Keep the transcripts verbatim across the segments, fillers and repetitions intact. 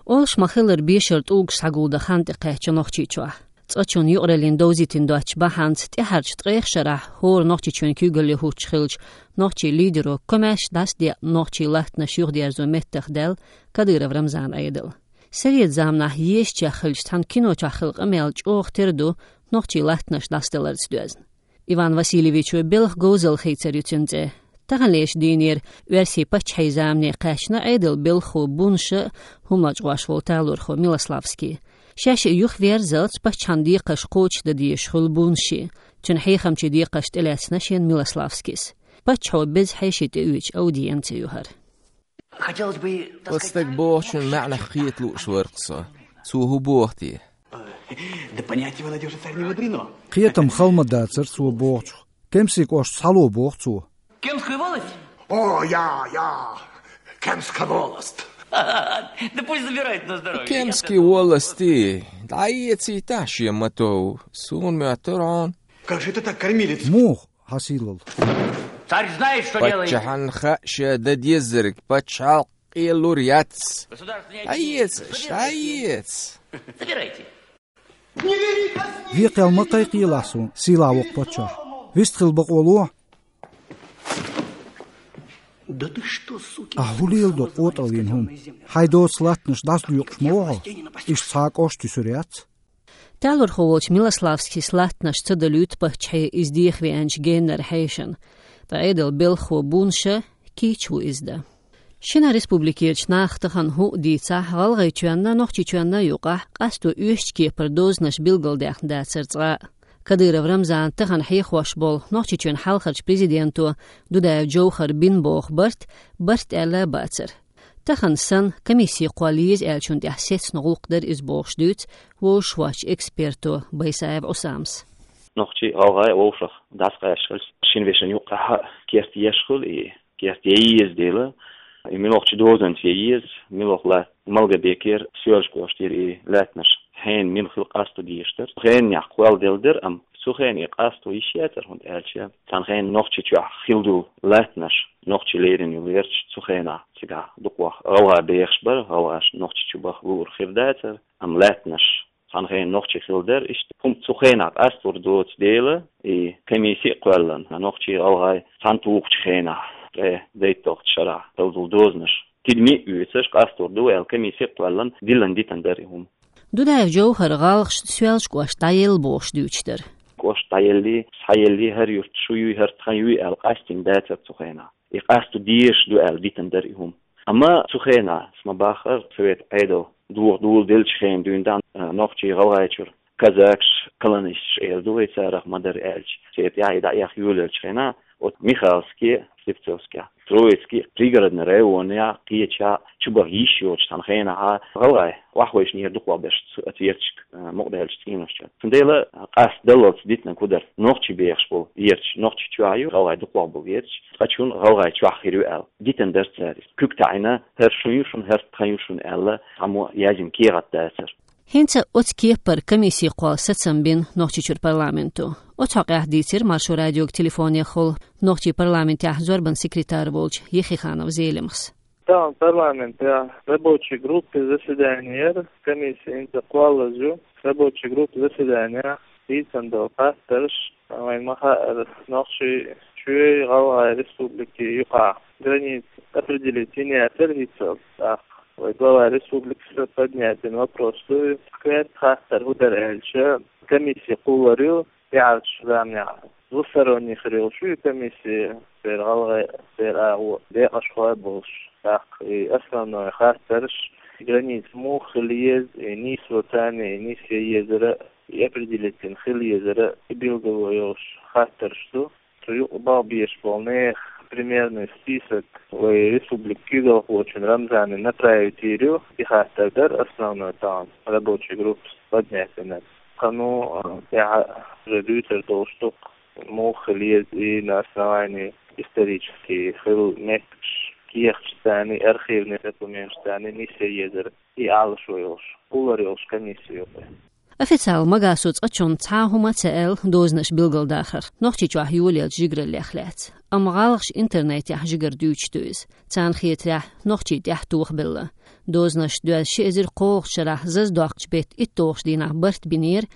Олуш ма-хиллара, бешара тӀулгаш схьагулдан хан тӀекхаьчна Нохчийчохь. Цкъачунна юкъараллин довзийтина доцчу бахьанца тӀаьхьарчу ткъех шарахь хӀора нохчичун куьйгалле хӀуттуш хиллачу нохчийн лидеро комаьрша дӀасадеъна нохчийн латтанаш юхадерзо меттахдаьлла Кадыров Рамзанан Ӏедал. Совет заманахь езачех хилча, цхьана кино чохь хилла къамел чӀогӀа тера ду нохчийн латтанаш дӀасадаларца доьзна. Иван Васильевичо белхан говзалла хийцар ю цуьнан цӀе. Таханлерчу дийнера, оьрсийн паччахьийн замане кхаьчна, Ӏедалан белхахо Бунша а, хӀума лочкъош волу талорхо Милославский. Шаьш юхаверзалц паччахьан декхарш кхочушдан дезаш хуьлу Бунши. Цуьнан хьехамчийн декхарш тӀелаьцна шена Милославскис. Паччахьо беза хьеший тӀеоьцуш аудиенци ю хӀара. Хотелось бы, так Оцу сказать, стага бохучун маьӀнах кхета лууш вара-кх со. Цо хӀун боху те? Да понять его надёжа царь не мудрено. Кхетам хала ма дацара цо бохучух. Кемсийн кӀошта схьало боху цо. Кемскую волость? О, я, я, Кемская волость. Да пусть забирает на здоровье. Кемская волость, дӀаэцийтахьа шен ма-тов, суна моьттура хьуна. Как же это так, кормилец? Муха хьан сийлалла? Царь знает, что делает. Паччахьна хаьа ша дан дезарг, пачхьалкх къелур яц. Государственный агент. ДӀаэца, дӀаэца. Забирайте. Векъал ма кхайкхийлахь суна, сийлахь воккха паччахь. Вистхила бакъо лохьа. Да ты что, сукин сын, ахь хӀун леладо, къотӀалла йина хӀума? Хьайн доцу латтанаш дӀасадоькъуш ма ву хьо? Иштта цхьа а кӀошт туьсур яц. Талорхо волчу Милославскис латтанаш ца далуьйту паччахье иза деха веанчу геннара хьешана. Ткъа Ӏедалан белхахо Бунша кийча ву иза дан. Шина республикерчу наха тахана хӀуъа дийцахь, ГӀалгӀайчоьнна, Нохчийчоьнна юкъахь къасто оьшучу кепара дозанаш билгалдаьхна дацара цкъа а. Кадыров Рамзана тахана хьехош болу Нохчийчоьнан хьалхарчу президенто Дудаев Джовхара бина боху барт, барт аьлла а бацара. Тахана санна, комисси кхолла еза аьллачунна тӀехь сецна гӀуллакх дара иза бохуш дуьйцу вовшахвоьдучу эксперто Байсаев Ӏусамас. Нохчий а, гӀалгӀай а вовшах дӀасакъаьсташ хилча, шина вешина юккъехь а керта еш хуьлу и, керта ян еза дела, и муьлхачу дозанца ян еза, муьлха латта Малгобекера, Соьлжа-кӀоштера и лаьттанаш хьенан мила хила къасто дезаш дара. Хенанехь кхолладелла дара, амма цу хенахь и къасто йиш яцара, хӀунда аьлча цхьана хенахь Нохчийчохь хилла долу лаьттанаш, нохчий лерина йолу ярташ цу хенахь цигахь дукхох гӀалгӀа бехаш бара, гӀалгӀаш Нохчийчу баха луур хир дацара, амма лаьттанаш цхьана хенахь нохчий хилла дара. Иштта хӀума цу хенахь къастор доцу дела, и комисси а кхоьллина, нохчий, гӀалгӀай цхьаьна тухучу хенахь, ткъе дейтталгӀачу шарахь хилла долу дозанаш тидаме а оьцуш, къастор ду аьлла, комисси а кхоьллина, диллина дитина дара и хӀума. Дудаев Джовхар гӀалгӀашна Соьлжа-кӀошта дӀаелла бохуш дуьйцуш дара. КӀошта дӀаеллий, схьаеллий, хӀара юрт шу юй, хӀара тхан юй аьлла къастийна дацара цу хенахь. И къасто дезаш ду аьлла дитина дара и хӀума. Амма цу хенахь, ас ма-баххара, совет Ӏедал дохо доладеллачу хенахь дуьйна дан, а, нохчий, гӀалгӀайчуьра казакаш, колонисташ эр ду вай царах, ма-дарра аьлча, церан тӀехь и дӀаэха йолаеллачу хенахь, оцу Михайловский, Слепцовский, Троицкий, Пригородный районехь, кхечахь чубаха йиш йоцуш цхьана хенахь гӀалгӀай охьавайшинера дукхох берш цу, оцу ярташка, а, мукъадаьллачу цӀенош чу. Цундела къастадаллалц дитинарг хӀун дара? Нохчий бехаш болу ярташ Нохчийчохь ю, гӀалгӀай дукхох болу ярташ, ткъа чунна гӀалгӀай чохь хир ю аьлла. Дитина дара цара иза. Куьг таӀийна, хӀара шун ю шуна, хӀара тхан ю шуна аьлла, цхьаммо яздина кехат дацара. ХӀинца оцу кепара комисси кхолла сацам бина Нохчийчуьра парламенто. Оцу хьокъехь дийцира Маршо радиога телефонехула Нохчийн парламентехь зорбан секретарь волчу Ехиханов Зелимхас. Тахана парламентехь рабочий группин заседани яра, комисси хӀинца кхоллаза ю, рабочий группин заседанехь дийцина долу хаттарш, вайна ма-хаъара, Нохчийчоьнан, ГӀалгӀай республикин юкъахь граница определить йина яцара хӀинццалц, тӀаккха вай глава республикас поднять йина вопрос ду, кхетта хаттар хӀун дара аьлча, комисси кхоллар ю, тӀаьхьарчу заманехь двусторонний хир йолуш ю комисси, церан гӀалгӀай, церан агӀо декъашхой а болуш, тӀаккха и основной хаттарш, граница муха хила еза, и нийсо царна, и нисъян езара, и определить йина хила езара, и билгало йолуш хаттарш ду. Цу юкъа бала безаш болу нехан примерный список вай республикин куьйгалхочун Рамзана направить йийр ю, и хаттар дара основной тахана рабочий группас поднять йинарг. Кхана, а, тӀаьхьа уже дуьйцур долуш ду-кх, муха хила еза и на основании исторически хилла меттигаш, кехаташ царна, архивный документаш царна нисъян езара, и Ӏалашо йолуш, кхоллар йолуш комисси ю-кх. Официал Магасо цкъачунна цхьа а хӀума ца аьлла дозанаш билгалдахар нохчий чохь йолаелча жигараллех лаьцна. Амма гӀалгӀаша интернетехь жигара дуьйцуш ду иза. Царна хетарехь, нохчий тӀаьхьа тохабелла. Дозанаш доьзна ши эзар кхоалгӀачу шарахь зазадоккхучу беттан итталгӀачу дийнахь барт бинера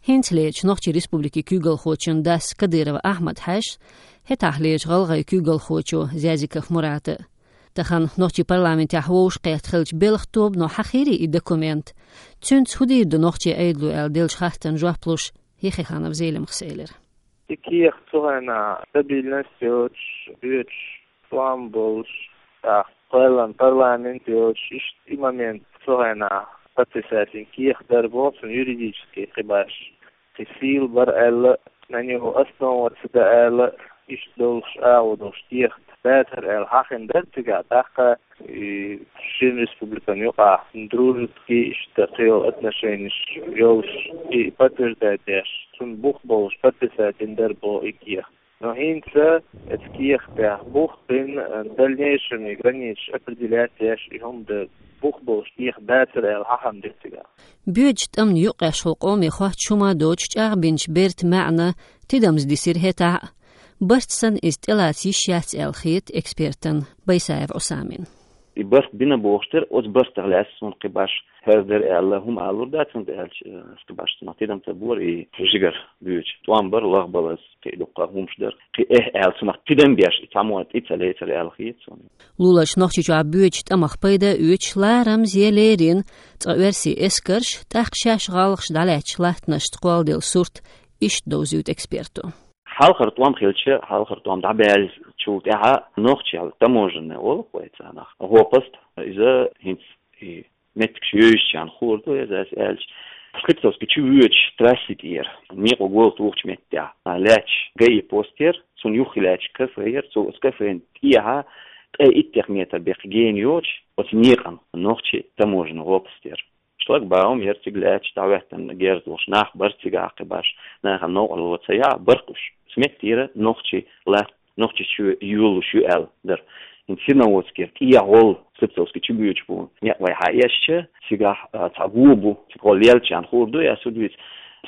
хӀинцалерчу Нохчийн Республикин куьйгалхочун дас Кадыров Ахьмад-Хьаьжас, хӀетахьлерчу гӀалгӀайн куьйгалхочо Зязиков Мурата. Тахана нохчийн парламентехь вовшахкхетта хиллачу белхан тобано хьахийрий и документ? Цуьнца хӀун дийр ду нохчийн Ӏедало аьлла деллачу хаттарна жоп луш, Ехиханов Зелимхас элира: И кехат цу хенахь стабильность йоцуш, боьдуш, тӀом болуш, тӀаккха кхоьллина парламент йоцуш, иштта и момент цу хенахь подписать йина кехат дар боху цуьнан юридически кхин башха, кхин сийла бара аьлла, на него основываться дан аьлла, иштта долуш агӀо долуш кехат дацара аьлла хьахийна дара цигахь, тӀаккха и шина республикан юкъахь дружеский иштта кхин йолу отношенеш йолуш, и подтверждать деш, цунна бух болуш подписать йина дара боху и кехат. Но хӀинца оцу кехатехь бух бина, дальнейшем и границаш определять деш и хӀума дара, бух болуш кехат дацара аьлла хьахийна дара цигахь. Боьдучу тӀамна юккъехула къоме хоттуш хӀума доцуш чӀагӀбинчу бертан маьӀна тидамза дисира хӀетахь а. Барт санна иза тӀелаца йиш яц аьлла хета экспертана Байсаев Ӏусамина. И барт бина бохуш дара, оцу бартах лаьцна суна кхин башха хӀара дара аьлла хӀума алур дац, хӀунда аьлча, э, кхин башха цунах тидам ца бора, и жигара боьдуш тӀом бара, лагӀбалаз кхин а дуккха хӀумаш дара. Кхин эхь аьлла цунах тидам беш, и цхьаммо тӀе ца лецара аьлла хета суна. Лулаш Нохчийчохь боьдучу тӀамах пайда а оьцуш, ларамза я леррина цкъа оьрсийн эскарш, тӀаккха шаьш гӀалгӀаша дӀалаьцначу латтанашца кхолладелла сурт иштта довзуьйту эксперто. Хьалхара тӀом хилча, хьалхара тӀом дӀабаьллачул тӀаьхьа нохчийн таможенный олу вай царах, гӀопаст, иза хӀинца и меттигаш йовзачарна хуур ду иза, ас аьлча. Слепцовски чу воьдуш трасси тӀера, некъо гол тухучу меттехь, лаьтташ ГАИ пост яра, цунна юххе лаьтташ кафе яра, цо оцу кафена тӀехьа ткъе иттех метр беккха гена йоцуш, оцу некъан нохчийн таможенный гӀопаст яра. Шлагбаум яра цига лаьтташ, дӀахӀоьттина герз долуш нах бара цигахь, кхин башха нахана новкъарло ца яхь, баркхуш. Оцу меттера нохчий латт нохчий чу йолалуш ю аьлла дара. ХӀинца Серноводскера тӀехьа гӀолла Слепцовски чу боьдуш бу некъ вай хьаэшча, цигахь, а, цхьа го бу, цига гӀолла леллачарна хуур ду, я суд виц,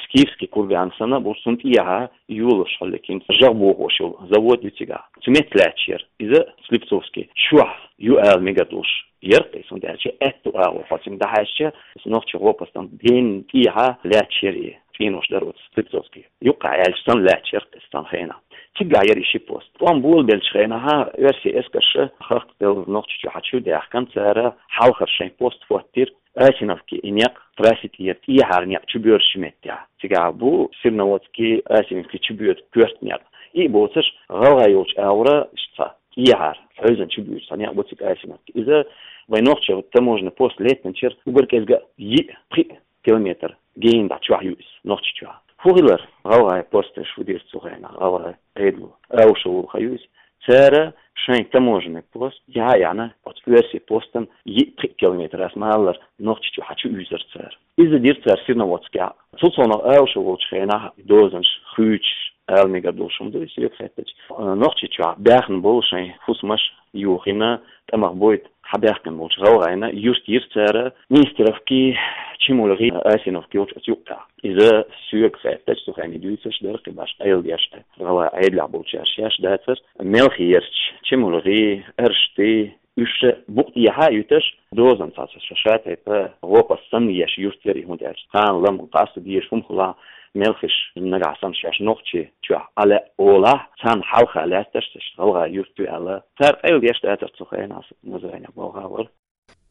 Скифский курган санна бу, цунна тӀехьа йолалуш хьаллаким жагӀа бохош йолу завод ю цигахь. Цу метта лаьтташ яра. Иза Слепцовски чохь ю ала мегар долуш яра кхин, хӀунда аьлча аьтту агӀор хьо цуьнга дӀахьаьжча, нохчийн гӀопастан генна тӀехьа лаьтташ яра и. ЦӀенош дара оцу Слепцовски юккъехь аьлча санна лаьтташ яра кхин цхьана хенахь. Цигахь яра и ши пост. ТӀом болабеллачу хенахь оьрсийн эскарша хахкаделла Нохчийчу хьачу даьхкина, цара хьалхара шайн пост хӀоттийра Асиновки и некъ, трасси тӀера тӀехьара некъ чу боьрзучу меттехь. Цигахь бу Серноводски, Асиновки чу боьду коьрта некъ. И а боцуш, гӀалгӀай йолчу агӀора иштта цхьа тӀехьара, хьаьвзина чу боьду цхьа некъ бу цига Асиновки. Иза вай нохчийн таможенный пост лаьттинчуьра уггар кӀезга йиъ, пхиъ километр генна дӀа чохь ю иза, Нохчийчохь. ХӀун хилар гӀалгӀай посташ, хӀун дира цу хенахь гӀалгӀай Ӏедало? Аушев волу хан ю иза. Цара шайн таможенный пост яхьа а яьхьна, оцу оьрсийн постан йиъ-пхиъ километр ас ма-аллара Нохчийчу хьачу уьйзура цара. Иза дира цара Серноводскехь. Цул совнаха Аушев волчу хенахь дозанаш хуьйцуш, ала мегар долуш хӀума ду иза, соьга хаьттича. Нохчийчохь баьхна болу шайн хӀусамаш йохийна, тӀамах бойта хьабаьхкина болчу гӀалгӀайна юрт йира цара Нестеровки, ЧемульгӀи, Асиновки йолчу оцу юккъехь. Иза соьга хаьттича, цу хенахь дуьйцурш дара кхин башха Ӏедалш, гӀалгӀай Ӏедалехь болчаьрша шаьш дацара, мелхий ярташ, ЧемульгӀи, Аршти, уьш букъ тӀехьа а юьтуш, дозанца цхьа ша-ша тайпа гӀопаст санна еш юрт яра и, хӀунда аьлча кхана лам-къаста дезаш хӀума хилахь, мелхаша нагахь санна шаьш Нохчийчохь Ӏа лаьа олахь, царна хьалха лаьтташ цхьа гӀалгӀай юрт ю аьлла. Цара къайладеш дацара цу хенахь, Назранехь болх а вара.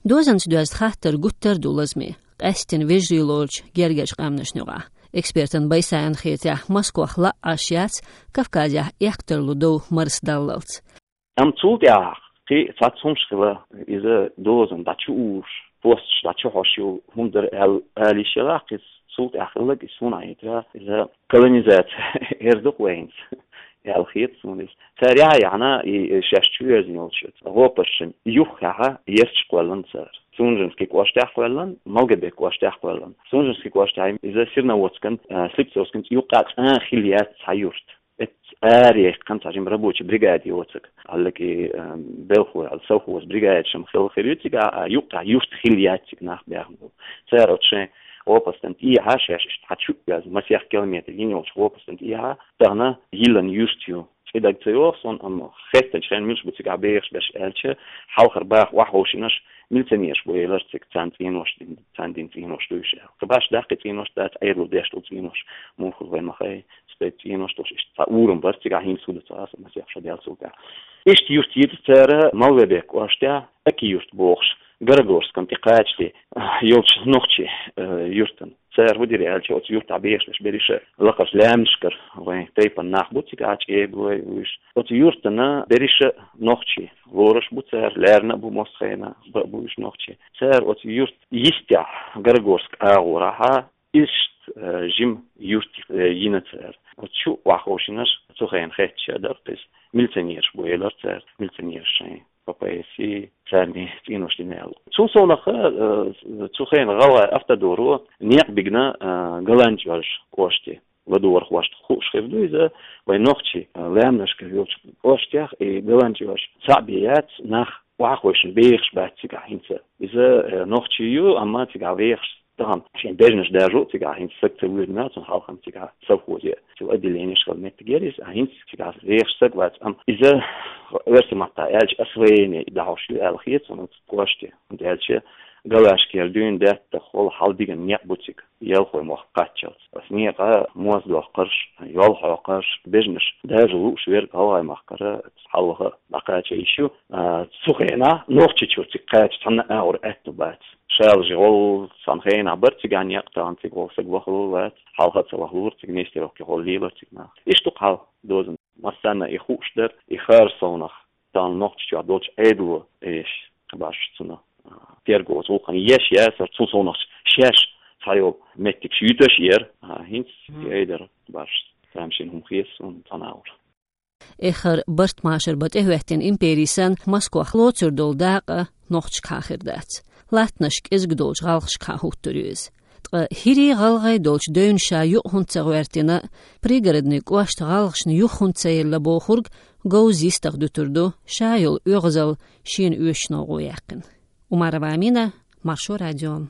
Дозанца доьзна хаттар гуттар а ду лазаме, къаьсттина вежарий лоручу гергарчу къаьмнашна юкъахь. Экспертан Байсаевна хетарехь, Москвахь лаа Ӏаш яц Кавказехь эккха тарлу дов марсадаллалц. Амма цул тӀаьхьа кхин цхьацца хӀумаш хила, иза дозанна дӀа чу уьйзуш, посташ дӀа чу хьош йолу хӀума дара аьлла, ала йиш елахь, кхин цул тӀаьхьа хилларг, и суна хетарехь, иза колонизация эр ду-кх вай хӀинца, аьлла хета суна иза. Цара яхьа а яьхьна, и шаьш чу верзина йолчу гӀопашна юххехь ярташ кхоьллина цара. Сунженски кӀоштехь кхоьллина, Малгобек кӀоштехь кхоьллина. Сунженски кӀоштехь иза Серноводскан, а, Слепцовскан юккъехь цкъа а хилла яц цхьа юрт. Эцца ара яьккхина цхьа жима рабочий бригада йоцург. Хьаллаки, а, белхо, хьал совхоз бригада шима хилла хир ю цига, а юккъехь юрт хилла яц цига нах баьхна болу. Цара оцу шайн гӀопастан тӀехьа, шаьш иштта хьачу вяз масех километр йина йолчу гӀопастан тӀехьа, тахана йиллина юрт ю. ЦӀе дага ца йогӀу суна, амма хеттачу хенахь милаш бу цигахь бехаш берш аьлча, хьалхара баха охьаховшинарш милиционераш бу элира цига, царна цӀенош дина, царна дина цӀенош ду уьш аьлла. Кхин башха даккхий цӀенош дац, Ӏедало деш долу цӀенош, муха вай ма хай, стаг цӀенош долуш иштта цхьа урам бара цигахь, хӀинца хӀун ду ца хаьа, масех шо даьлла цу тӀехь. Иштта юрт йита цара Малгобек кӀоштехь, Аки-Юрт бохуш, Горогорскана тӀе кхачале йолчу нохчийн, э, юьртана. Цара хӀун дира аьлча, оцу юьртахь бехаш берш берриша лакхарчу лаьмнашкара вайн тайпана нах бу цигахь, чӀегой уьш. Оцу юьртана берриша нохчий лоруш бу цара, лаьрна а бу массо хенахь, бан а бу уьш нохчий. Цара оцу юьртан йистехь, Горогорск агӀорахь, иштта, э, жима юрт, э, йина цара. Оцу чу охьаховшинарш цу хенахь хетташ а дара иза. Милиционераш бу элира цара, милиционераш шайн П П С, царна цӀенош дина аьлла. Цул совнаха, э, цу хенахь гӀалгӀайн автодоро некъ бигна, э, ГаланчӀожан кӀоште. ЛадогӀархошна хууш хир ду иза, вайн нохчий, э, лаьмнашкара йолчу кӀоштех и ГаланчӀож цхьаъ бен яц, нах охьаховшина бехаш бац цигахь хӀинца. Иза, э, нохчи ю, амма цигахь вехаш тахана шен бежнаш даржо а цигахь хӀинца саг ца воьду мел, цунна хьалха цигахь совхозе, цу отделенеш хила меттиг яра иза, а хӀинца цигахь вехаш саг вац. Амма иза, оьрсийн маттахь аьлча, освоение дӀахьош ю аьлла хета суна оцу кӀоште. ХӀунда аьлча Галашкера дуьйна даьтта хӀолла хьал дигна некъ бу цига, Ялхой-мохк кхаччалц. Оцу некъа моз доккхурш, йол хьокхурш, бежнаш даржо лууш верг гӀалгӀай махкара хьалха дӀакхача йиш ю. А, цу хенахь Нохчийчуьра цига кхача цхьанна а агӀор аьтто бац. Шалажи гӀолла цхьана хенахь бара цигахь некъ, тахана цига гӀолла саг вахалур вац. Хьалха а ца вахалура цига, Нестеровке гӀолла лелора цига нах. Иштта ду хьал дозан. Массарна и хууш дара, и хӀара совнаха тахана Нохчийчохь долчу Ӏедало еш, кхин башха цунах, а, терго гӀуллакхана еш яцара, цул совнахча шаьш цхьайолу меттигаш юьтуш яра, а, хӀинца и айдара башха тамашийна хӀума хета суна цхьана агӀор. Эххар барт машар бан тӀехӀоьттина импери санна, Москвахь лоцур долу дакъа нохчашкахьа хир дац. Латтанаш кӀезиг долчу гӀалгӀашкахьа хӀуттур ю иза. Ткъа хӀирий, гӀалгӀай долчу девнашкахьа юкъа хӀунда ца гӀоьртина, пригородный кӀошта гӀалгӀашна юха хӀунда ца елла бохург говза йистах дуьтур ду, ша йолу оьгӀазалла шена оьшучу новкъа яьккхина. Умарова Амина, Маршо радио.